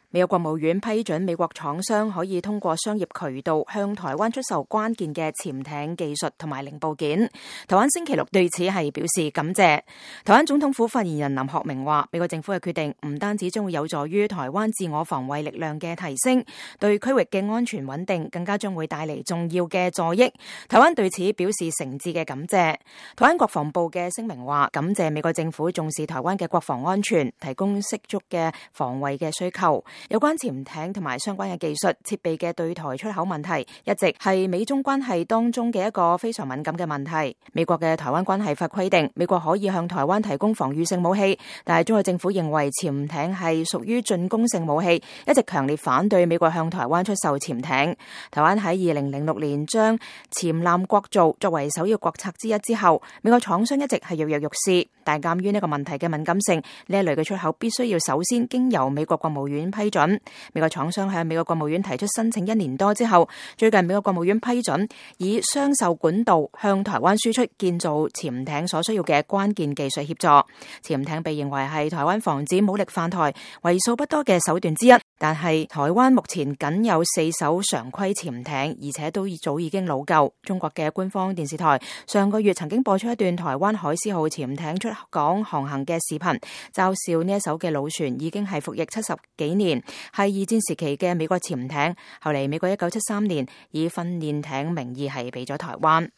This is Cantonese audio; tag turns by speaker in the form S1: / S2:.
S1: 美國國務院批准美國廠商可以通過商業渠道向台灣出售關鍵嘅潛艇技術同埋零部件。台灣星期六對此係表示感謝。台灣總統府發言人林學明話，美國政府嘅決定唔單止將會有助於台灣自我防衛力量嘅提升，對區域嘅安全穩定更加將會帶嚟重要嘅助益。台灣對此表示誠摯嘅感謝。台灣國防部嘅聲明話，感謝美國政府重視台灣嘅國防安全，提供適足嘅防衛嘅需求。有關潛艇同埋相關嘅技術設備嘅對台出口問題，一直係美中關係當中嘅一個非常敏感嘅問題。美國嘅台灣關係法規定，美國可以向台灣提供防禦性武器，但係中國政府認為潛艇係屬於進攻性武器，一直強烈反對美國向台灣出售潛艇。台灣喺2006年將潛艦國造作為首要國策之一之後，美國廠商一直係躍躍欲試，但鑑於呢個問題嘅敏感性，呢一類嘅出口必須要首先經由美國國務院批准。美國廠商向美國國務院提出申請1年多之後，最近美國國務院批准以商售管道向台灣輸出建造潛艇所需要嘅關鍵技術協助。潛艇被認為係台灣防止武力犯台為數不多嘅手段之一，但係台灣目前僅有4艘常規潛艇，而且都早已經老舊。中國嘅官方電視台上個月曾經播出一段台灣海獅號潛艇出港航行嘅視頻，嘲笑呢一艘嘅老船已經係服役70幾年，係二戰時期嘅美國潛艇。後嚟美國1973年以訓練艇名義係俾咗台灣。